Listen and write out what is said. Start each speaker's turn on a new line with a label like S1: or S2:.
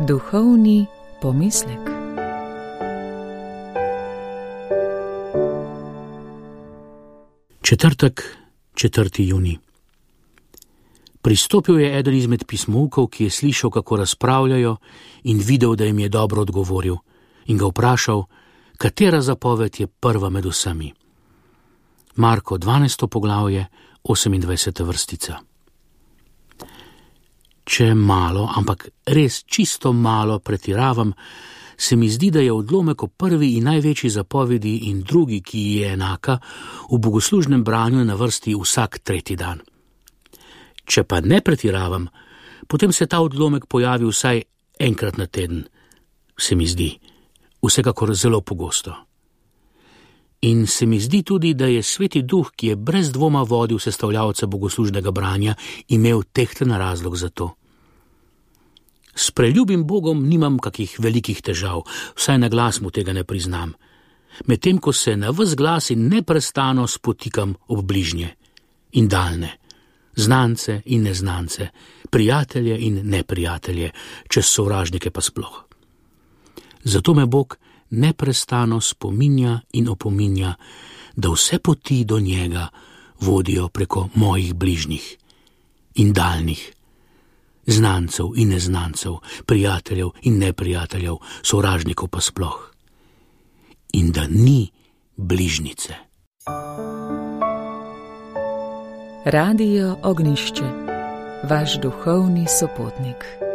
S1: Duhovni pomislek.
S2: Četrtek, 4. junij. Pristopil je eden izmed pismovkov, ki je slišal, kako razpravljajo, in videl, da jim je dobro odgovoril, in ga vprašal, katera zapoved je prva med vsemi. Marko 12. poglavje, 28. vrstica. Če malo, ampak res čisto malo pretiravam, se mi zdi, da je odlomek o prvi in največji zapovedi in drugi, ki ji je enaka, v bogoslužnem branju na vrsti vsak tretji dan. Če pa ne pretiravam, potem se ta odlomek pojavi vsaj enkrat na teden, se mi zdi, vsekakor zelo pogosto. In se mi zdi tudi, da je Sveti Duh, ki je brez dvoma vodil sestavljavca bogoslužnega branja, imel tehten razlog za to. S preljubim Bogom nimam kakih velikih težav, vsaj na glas mu tega ne priznam, medtem ko se na ves glas in neprestano spotikam ob bližnje in daljne, znance in neznance, prijatelje in neprijatelje, čez sovražnike pa sploh. Zato me Bog neprestano spominja in opominja, da vse poti do njega vodijo preko mojih bližnjih in daljnih, znancev in neznancev, prijateljev in neprijateljev, sovražnikov pa sploh. In da ni bližnjice.
S1: Radio Ognjišče, vaš duhovni sopotnik.